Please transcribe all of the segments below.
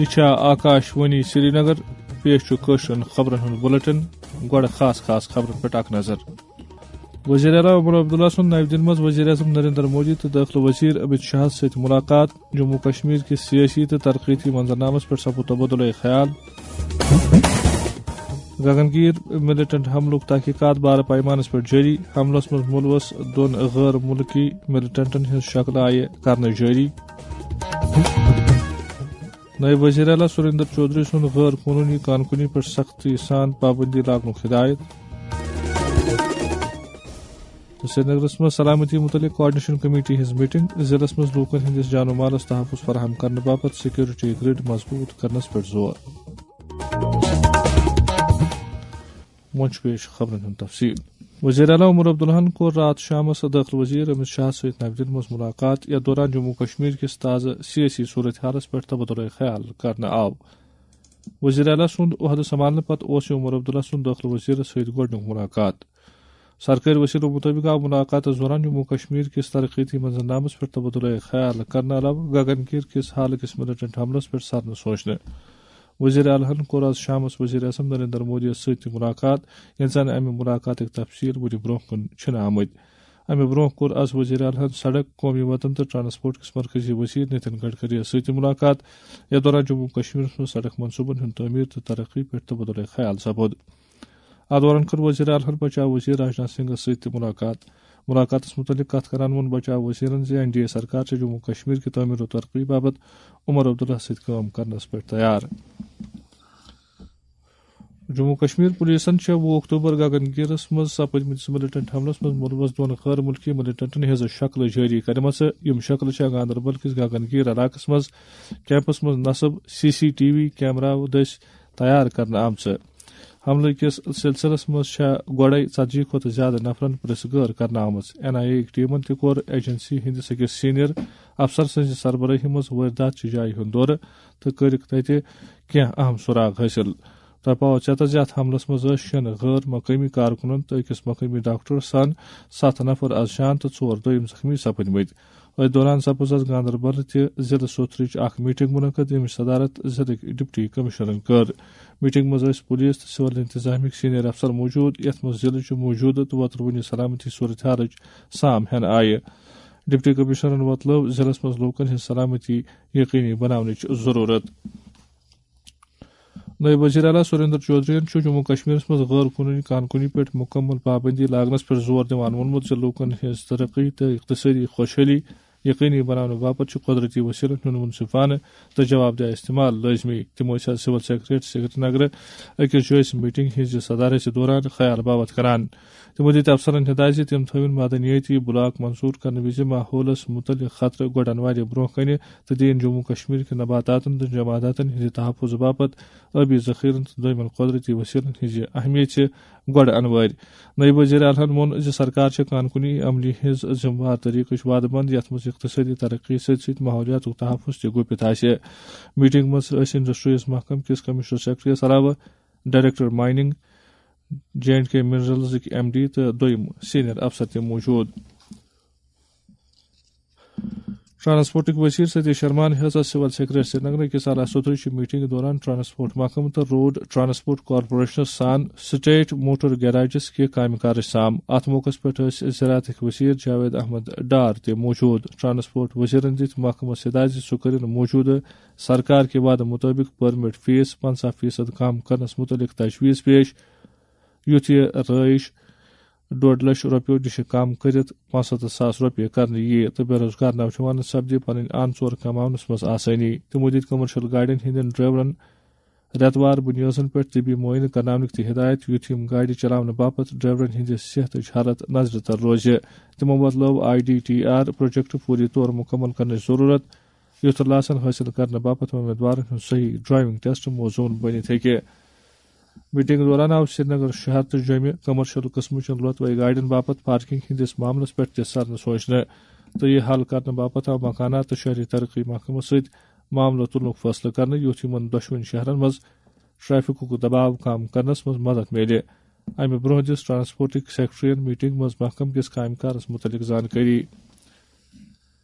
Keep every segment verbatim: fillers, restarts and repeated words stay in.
یہِ چھا آکاش وانی سرینگر۔ پیش چھُ کٲشرٮ۪ن خبرن ہُنٛد بُلٹن۔ گۄڈٕ خاص خاص خبرن پٮ۪ٹھ اکھ نظر۔ وزیر اعلیٰ عمر عبداللہ سُنٛد نَوِ دِلہِ منٛز وزیر اعظم نریندر مودی تہٕ دٲخلہٕ وزیر امت شاہس سۭتۍ مُلاقات۔ جموں کشمیر کِس سیٲسی تہٕ ترقیتی منظرنامس پٮ۪ٹھ سپُد تبادلہ خیال۔ گگن گیر ملیٹنٹ حملُک تحقیقات بارٕ پیمانس پٮ۪ٹھ جٲری۔ حملس منٛز مُلوث دۄن غٲر مُلکی ملیٹنٹن ہٕنٛز شکلہٕ آیہِ کرنہٕ جٲری۔ نٲیِب وزیر اعلیٰ سریندر چودھری سُنٛد غٲر قونوٗنی کانکُنی پٮ۪ٹھ سختی سان پابندی لاگنُک ہدایت۔ تہٕ سرینگرس منٛز سلامتی مُتعلق کوآرڈینیشن کمیٹی ہٕنٛز میٹنگ، ضلعس منٛز لوٗکن ہٕنٛدِس جان و مالس تحفظ فراہم کرنہٕ باپتھ سیکورٹی گرڈ مضبوٗط کرنس پٮ۪ٹھ زور۔ وۄنۍ چھُ پیش خبرن ہُنٛد تفصیل۔ وزیر اعلیٰ عمر عبداللہن کوٚر راتھ شامس دٲخلہٕ وزیر امت شاہ سۭتۍ نَوِ دِلہِ منٛز مُلاقات، یَتھ دوران جموں کشمیر کِس تازٕ سیٲسی صورت حالس پٮ۪ٹھ تبادلہ خیال کرنہٕ آو۔ وزیر اعلیٰ سُنٛد عہدٕ سنبھالنہٕ پتہٕ اوس یہِ عمر عبداللہ سُنٛد دٲخلہٕ وزیرس سۭتۍ گۄڈٕنیُک مُلاقات۔ سرکٲرۍ وسیلو مُطٲبِق آو مُلاقاتس دوران جموں کشمیر کِس ترقیتی منظرنامس پٮ۪ٹھ تبادلہ خیال کرنہٕ علاوٕ گگن گیر کِس حالہٕ کِس ملیٹنٹ حملس پٮ۪ٹھ سرنہٕ سوچنہٕ۔ وزیر اعلیٰ ہن کوٚر آز شامس وزیر اعظم نریندر مودی یَس سۭتۍ تہِ مُلاقات، ییٚلہِ زن امہِ مُلاقاتٕکۍ تفصیل وُنہِ برونٛہہ کُن چھِنہٕ آمٕتۍ۔ امہِ برونٛہہ کوٚر آز وزیر اعلیٰ ہن سڑک، قومی وتن تہٕ ٹرانسپورٹ کِس مرکزی وزیر نتن گڈکری یَس سۭتۍ تہِ مُلاقات، یتھ دوران جموں کشمیرس منٛز سڑک منصوبن ہُنٛد تعمیٖر تہٕ ترقی پٮ۪ٹھ تبادلہ خیال سپُد۔ اتھ دوران کٔر وزیر اعلیٰ ہن بچاو وزیر راجناتھ سنگھس سۭتۍ تہِ مُلاقات۔ مُلاقاتس مُتعلق کتھ کران ووٚن بچاو وزیرن زِ این ڈی اے سرکار چھےٚ جموں کشمیر کہِ تعمیٖر و ترقی باپتھ عمر عبداللہ سۭتۍ کٲم کرنس پٮ۪ٹھ تیار۔ جموں کشمیر پولیسن چھےٚ وُہ اکتوبر گگن گیرس منٛز سپدمٕتِس ملیٹنٹ حملس منٛز مُلوث دۄن غٲر مُلکی ملیٹنٹن ہٕنٛزٕ شکلہٕ جٲری کرِمژٕ۔ یِم شکلہٕ چھےٚ گاندربل کِس گگن گیر علاقس منٛز کیمپس منٛز نصب سی سی ٹی وی کیمراہو دٔسۍ تیار کرنہٕ آمژٕ۔ حملہٕ کِس سلسلس منٛز چھےٚ گۄڈَے ژتجی کھۄتہٕ زیادٕ نفرن پرٛژھ گٲر کرنہٕ آمٕژ۔ این آئی اے یٕکۍ ٹیمن تہِ کوٚر ایجنسی ہٕنٛدِس أکِس سینئر افسر سٕنٛزِ سربرٲہی منٛز وٲرۍدات چہِ جایہِ ہُنٛد دورٕ تہٕ کٔرٕکھ تتہِ کینٛہہ اہم سراغ حٲصِل۔ تۄہہِ پاوو ژیتس زِ اتھ حملس منٛز ٲسۍ شیٚن غٲر مقٲمی کارکنن تہٕ أکِس مقٲمی ڈاکٹرس سان ستھ نفر از جان تہٕ ژور دوٚیِم زخمی سپٕدمٕتۍ۔ أتھۍ دوران سپٕز از گاندربل تہِ ضلعہٕ سوتھرٕچ اکھ میٹنگ منعقد، ییٚمِچ صدارت ضلعٕکۍ ڈپٹی کمشنرن کٔر۔ میٹنگ منٛز ٲسۍ پولیس تہٕ سول انتظامیہٕکۍ سینئر افسر موجود، یتھ منٛز ضلعٕچہِ موجودٕ تہٕ وۄتروٕنی سلامتی صورتحالٕچ سام ہٮ۪نہٕ آیہِ۔ ڈپٹی کمشنرن وۄتلٲو ضلعس منٛز لوٗکن ہٕنٛز سلامتی یقینی بناونٕچ ضروٗرت۔ نٲیِب وزیر اعلیٰ سریندر چودھرین چھُ جموں کشمیرس منٛز غٲر قونوٗنی کانکُنی پٮ۪ٹھ مُکمل پابندی لاگنس پٮ۪ٹھ زور دِوان ووٚنمُت زِ لوٗکن ہٕنٛز ترقی تہٕ اقتصٲدی خۄشحٲلی یقینی بناونہٕ باپتھ چھُ قۄدرتی وسیلن ہُنٛد منصفانہٕ تہٕ جوابدہ استعمال لٲزمی۔ تِم ٲسۍ آز سول سیکرٹریٹ سرینگرٕ أکِس جٲیزٕ میٹنگ ہٕنٛزِ صدارتہِ دوران خیال باوت کران۔ تِمو دِتۍ افسرن ہدایت زِ تِم تھٲوِن معدنیٲتی بلاک منظور کرنہٕ وِزِ ماحولس مُتعلق خطرٕ گۄڈٕ انوارِ برونٛہہ کنہِ تہٕ دِیِن جموں کشمیر کہِ نباتاتن تہٕ جماداتن ہٕنٛدِ تحفظ باپتھ آبی ذخیرن تہٕ دوٚیمٮ۪ن قۄدرتی وسیلن ہٕنٛزِ اہمیت تہِ گۄڈٕ انوٲرۍ۔ نٲیِب وزیر اعلیٰ ہن ووٚن زِ سرکار چھےٚ کانکُنی عملی ہٕنٛز ذمہٕ وار طریقٕچ وعدٕ بنٛد، یتھ منٛز اقتصٲدی ترقی سۭتۍ سۭتۍ ماحولیاتُک تحفظ تہِ گُپِتھ آسہِ۔ میٹنگ منٛز ٲسۍ انڈسٹریز محکمہٕ کِس کمشنر سیکرٹریس علاوٕ director mining, J and K منرلزٕکۍ ایم ڈی تہٕ دوٚیِم سینئر افسر تہِ موجود۔ ٹرانسپورٹٕکۍ وزیر ستیش شرماہن ہیٚژ سول سیکرٹریٹ سرینگر أکِس اعلیٰ سطحٕچہِ میٹنگ دوران ٹرانسپورٹ محکمہٕ تہٕ روڈ ٹرانسپورٹ کارپوریشنس سان سٹیٹ موٹر گیراجز کہِ کامہِ کارٕچ سام۔ اتھ موقعس پٮ۪ٹھ ٲسۍ زراعتٕکۍ وزیر جاوید احمد ڈار تہِ موجود۔ ٹرانسپورٹ وزیرن دِتۍ محکمس ہدایت زِ سُہ کٔرِن موجودٕ سرکار کہِ وعدٕ مُطٲبِق پرمٹ فیس پنژاہ فیصد کم کرنس مُتعلق تجویز پیش، یُتھ یہِ رٲیِش ڈۄڈ لچھ رۄپیو نِش کم کٔرِتھ پانٛژستتھ ساس رۄپیہِ کرنہٕ یِیہِ تہٕ بے روزگار نوجوانن سپدِ پنٕنۍ آن ژور کماونس منٛز آسٲنی۔ تِمو دِتۍ کمرشل گاڑٮ۪ن ہٕنٛدٮ۪ن ڈرائیورن رٮ۪توار بُنیٲدن پٮ۪ٹھ طبی معائنہٕ کرناونٕکۍ تہِ ہدایت، یُتھ یِم گاڑِ چلاونہٕ باپتھ ڈرائیورن ہٕنٛدِ صحتٕچ حالت نظرِ تل روزِ۔ تِمو وۄتلٲو I D T R project فوری طور مُکمل کرنٕچ ضروٗرت، یُتھ لاسن حٲصِل کرنہٕ باپتھ امیدوارن ہُنٛد صحیح ڈرائیونگ ٹیسٹ موزوٗن بٔنِتھ ہیٚکہِ۔ میٹنگ دوران آو سرینگر شہر تہٕ جوٚمہِ کمرشل قٕسمٕچن لۄتوے گاڑٮ۪ن باپتھ پارکنگ ہٕنٛدِس معاملس پٮ۪ٹھ تہِ سرنہٕ سوچنہٕ تہٕ یہِ حل کرنہٕ باپتھ آو مکانات تہٕ شہری ترقی محکمس سۭتۍ معاملہٕ تُلنُک فٲصلہٕ کرنہٕ، یُتھ یِمن دۄشوٕنی شہرن منٛز ٹریفکُک دباو کم کرنس منٛز مدد میلہِ۔ امہِ برونٛہہ دِژ ٹرانسپورٹٕکۍ سیکرٹریَن میٹنگ منٛز محکمہٕ کِس کامہِ کارس مُتعلق زانکٲری۔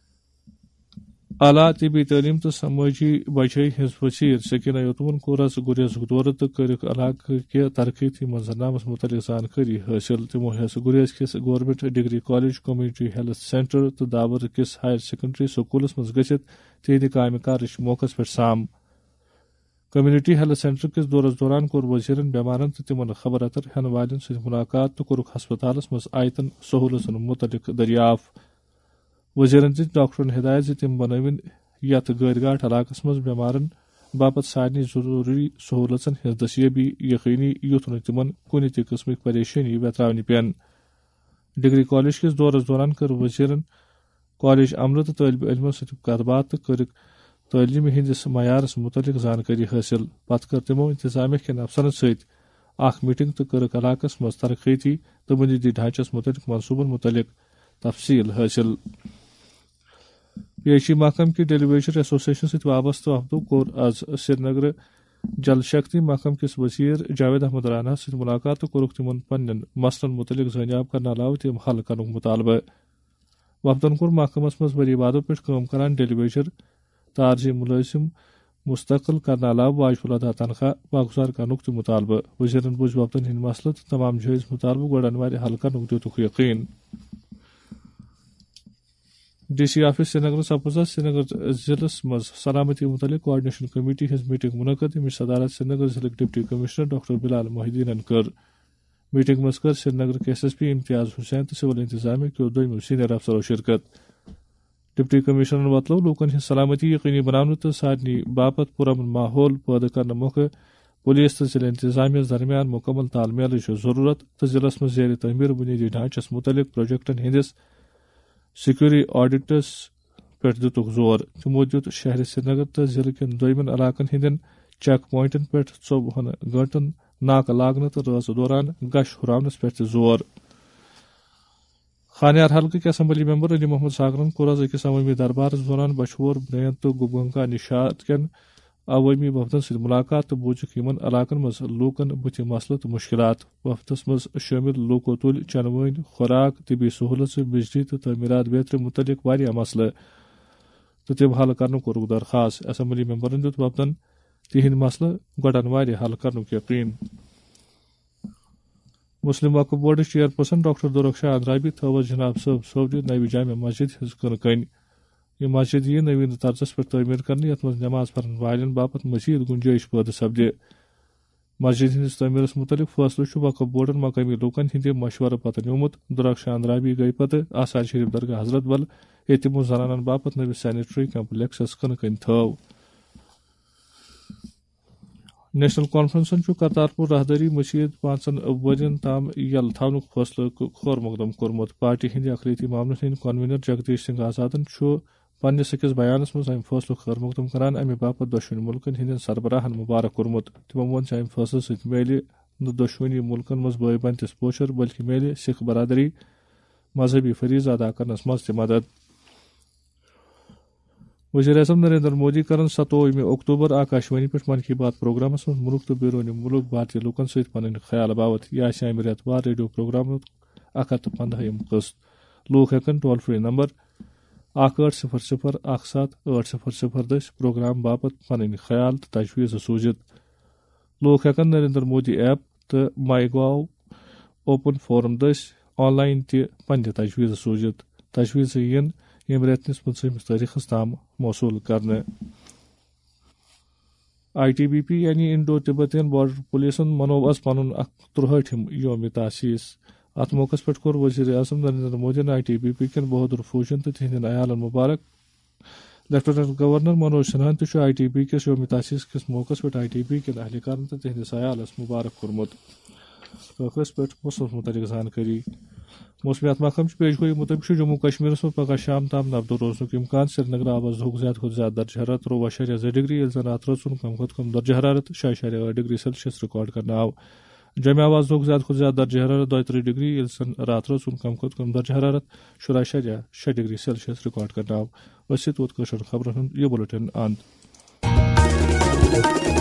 اعلیٰ طبی تعلیم تہٕ سمٲجی بچٲے ہٕنٛز وزیر سکینہ یتومن کوٚر از گریزُک دورٕ تہٕ کٔرٕکھ علاقہٕ کہِ ترقیتی منظرنامس متعلق زانکٲری حٲصِل۔ تِمو ہیٚژ گریز کِس government degree college, community health centre تہٕ دابر کِس ہائر سیکنڈری سکولس منٛز گٔژھِتھ تِہنٛدِ کامہِ کارٕچ موقعس پٮ۪ٹھ سام۔ کمیونٹی ہیلتھ سینٹر کِس دورس دوران کوٚر وزیرن بیمارن تہٕ تِمن خبر اتر ہٮ۪ن والٮ۪ن سۭتۍ ملاقات تہٕ کوٚرُکھ ہسپتالس منٛز آیتن سہولژن متعلق دٔریافت۔ وزیرن دِژ ڈاکٹرن ہدایت زِ تِم بنٲوِن یتھ گٲرۍ گاٹھ علاقس منٛز بیمارن باپتھ سارنٕے ضروٗری سہولژن ہٕنٛز دستیٲبی یقینی، یُتھ نہٕ تِمن کُنہِ تہِ قٕسمٕچ پریشٲنی ویتراونہِ پیٚن۔ ڈگری کالج کِس دورس دوران کٔر وزیرن کالج عملہٕ تہٕ طٲلبہِ علمن سۭتۍ کتھ باتھ تہٕ کٔرٕکھ تعلیمہِ ہٕنٛدِس معیارس متعلق زانکٲری حٲصِل۔ پتہٕ کٔر تِمو انتظامیہ کٮ۪ن افسرن سۭتۍ اکھ میٹنگ تہٕ کٔرٕکھ علاقس منٛز ترقیتی تہٕ بنیٲدی ڈھانچس متعلق منصوبن متعلق تفصیل حٲصِل۔ پی ایچ ای محکمہٕ کہِ ڈیلیویشن ایسوسیشن سۭتۍ وابستہٕ وفدو کوٚر از سرینگرٕ جل شکتی محکمہٕ کِس وزیر جاوید احمد راناہس سۭتۍ ملاقات تہٕ کوٚرُکھ تِمن پننٮ۪ن مسلن متعلق زٲنیاب کرنہٕ علاوٕ تِم حل کرنُک مطالبہٕ۔ وفدن کوٚر محکمس منٛز ؤری وادو پٮ۪ٹھ کٲم کران ڈیلیویشن تارزی ملٲزم مستقل کرنہٕ علاوٕ واجب الادا تنخواہ واگزار کرنُک تہِ مطالبہٕ۔ وزیرن بوٗز وفدن ہٕنٛدۍ مسلہٕ تہٕ تمام جٲیز مطالبہٕ گۄڈٕ انوارِ حل کرنُک دِتُکھ یقین۔ ڈی سی آفس سرینگرس سپُز سرینگر ضلعس منٛز سلامتی متعلق کوآرڈینیشن کمیٹی ہٕنٛز میٹنگ منعقد، ییٚمِچ صدارت سرینگر ضلعٕکۍ ڈپٹی کمشنر ڈاکٹر بلال محی الدینن کٔر۔ میٹنگ منٛز کٔر سرینگر کے ایس ایس پی امتیاز حسین تہٕ سول انتظامیہ کیو دوٚیمو سینئر افسرو شرکت۔ ڈپٹی کمشنرن وۄتلٲو لوٗکن ہٕنٛز سلامتی یقینی بناونہٕ تہٕ سارنٕے باپتھ پرامن ماحول پٲدٕ کرنہٕ مۄکھٕ پولیس تہٕ ضلع انتظامیہ درمیان مکمل تال میلٕچ ضروٗرت تہٕ ضلعس منٛز زیر تعمیٖر بنیٲدی ڈھانچس متعلق پروجیکٹن ہٕنٛدِس سیکیورٹی آڈٹس پٮ۪ٹھ دِتُکھ زور۔ تِمو دِیُت شہرِ سرینگر تہٕ ضلعہٕ کٮ۪ن دوٚیمٮ۪ن علاقن ہٕنٛدٮ۪ن چیک پوینٹن پٮ۪ٹھ ژوٚوُہن گٲنٛٹن ناکہٕ لاگنہٕ تہٕ رٲژ دوران گشت ہُراونس پٮ۪ٹھ تہِ زور۔ خانیار حلقٕکۍ اسمبلی ممبر علی محمد ساگرن کوٚر از أکِس عوٲمی دربارس دوران بچھور، برینت تہٕ گوبگنگا نشاد کٮ۪ن عوٲمی وفدن سۭتۍ ملاقات تہٕ بوٗزِکھ یِمن علاقن منٛز لوٗکن بُتھِ مسلہٕ تہٕ مُشکِلات۔ وفدس منٛز شٲمِل لوٗکو تُلۍ چنہٕ وٲنۍ، خوراک، طبی سہوٗلژٕ، بجلی تہٕ تعمیٖرات بیترِ مُتعلق واریاہ مسلہٕ تہٕ تِم حل کرنُک کوٚرُکھ درخاست۔ اسمبلی ممبرن دیُت وفدن تِہنٛدۍ مسلہٕ گۄڈٕ انوارِ حل کرنُک یقین۔ مسلم وقف بورڈٕچ چیئرپرسن ڈاکٹر دورخشا اندرابی تھٲو از جناب صٲب صٲبنہِ نوِ جامع مسجد ہٕنٛز کٕنہٕ کٔنۍ۔ یہِ مسجد یِیہِ نوین طرزس پٮ۪ٹھ تعمیٖر کرنہٕ، یتھ منٛز نماز پرن والٮ۪ن باپتھ مزید گنجٲیش پٲدٕ سپدِ۔ مسجد ہٕنٛدِس تعمیٖرس مُتعلق فٲصلہٕ چھُ وقف بورڈن مقٲمی لوٗکن ہٕنٛدِ مشورٕ پتہٕ نیوٗمُت۔ دورخشا اندرابی گٔیہِ پتہٕ آثار شریف درگاہ حضرت بل، ییٚتہِ تِمو زنانن باپتھ نٔوِس سینیٹری کمپلیکسس کٕنہٕ کٔنۍ تھٲو۔ نیشنل کانفرنسن چھُ کرتارپور راہدٲری مٔزیٖد پانٛژن ؤرین تام یلہٕ تھاونُک فٲصلہٕ ک-، خٲر مقدم کوٚرمُت۔ پارٹی ہٕنٛدِ اقلیتی معاملن ہٕنٛدۍ کنوینر جگدیش سنگھ آزادن چھُ پننِس أکِس بیانس منٛز امہِ فٲصلُک خٲر مقدم کران امہِ باپتھ دۄشوٕنی مُلکن ہٕنٛدٮ۪ن سربراہن مبارک کوٚرمُت۔ تِمو ووٚن زِ امہِ فٲصلہٕ سۭتۍ میلہِ نہٕ دۄشوٕنی مُلکن منٛز بٲے بنتِس پوچھر، بلکہِ میلہِ سکھ برادری مذہبی فریضہٕ ادا کرنس منٛز تہِ مدد۔ وزیر اعظم نریندر مودی کرن ستووُہمہِ اکتوبر آکاشوانی پٮ۪ٹھ من کی بات پروگرامس منٛز مُلک تہٕ بیرونِ مُلک بھارتی لوٗکن سۭتۍ پنٕنۍ خیال باوتھ۔ یہِ آسہِ امہِ رٮ۪تہٕ وار ریڈیو پروگرامُک اکھ ہتھ تہٕ پنٛداہِم قٕسط۔ لوٗکھ ہٮ۪کن ٹول فری نمبر اکھ ٲٹھ صفر صفر اکھ ستھ ٲٹھ صفر صفر دٔسۍ پروگرام باپتھ پنٕنۍ خیال تہٕ تجویز سوٗزِتھ۔ لوٗکھ ہٮ۪کن نریندر مودی ایپ تہٕ ماے گاو اوپن فورم دٔسۍ آن لاین تہِ پننہِ تجویز سوٗزِتھ۔ تجویز یِن ییٚمہِ رٮ۪تہٕ کِس پٕنٛژٕہمِس تٲریخس تام موصوٗل کرنہٕ۔ آئی ٹی بی پی یعنی انڈو تبتین بارڈر پولیسن منوو از پنُن اکھ ترٛہٲٹھِم یوم تاسیس۔ اتھ موقعس پٮ۪ٹھ کوٚر وزیر اعظم نریندر مودیَن آئی ٹی بی پی کٮ۪ن بہادر فوجین تہٕ تِہنٛدٮ۪ن عیالن مبارک۔ لیفٹیننٹ گورنر منوج سنہاہن تہِ چھُ آئی ٹی بی کِس یوم تاسیس کِس موقعس پٮ۪ٹھ آئی ٹی بی کٮ۪ن اہلکارن تہٕ تِہنٛدِس عیالس مبارک کوٚرمُت۔ ٲخرس پٮ۪ٹھ موسمس مُتعلق زانکٲری۔ موسمیات محکمہٕ چہِ پیش گویی مُطٲبِق چھُ جموں کشمیرس منٛز پگہہ شام تام نبدو روزنُک امکان۔ سرینگر آو از دُہُک زیادٕ کھۄتہٕ زیادٕ درجہ حرارت ترٛوٚوُہ اَشاریہ زٕ ڈگری، ییٚلہِ زن راتھ رٲژ ہُنٛد کم کھۄتہٕ کم درجہ حرارت شےٚ اَشاریہ ٲٹھ ڈگری سیلسیس ریکارڈ کرنہٕ آو۔ جمعہ آو از دُہُک زیادٕ کھۄتہٕ زیادٕ درجہ حرارت دۄیہِ ترٕٛہ ڈگری، ییٚلہِ زن راتھ رٲژ ہُنٛد کم کھۄتہٕ کم درجہ حرارت شُراہ اَشاریہ شےٚ ڈگری سیلسیس ریکارڈ کرنہٕ آو۔ أسۍ چھِ توت کٲشرٮ۪ن خبرن ہُنٛد یہِ بُلٹن اند۔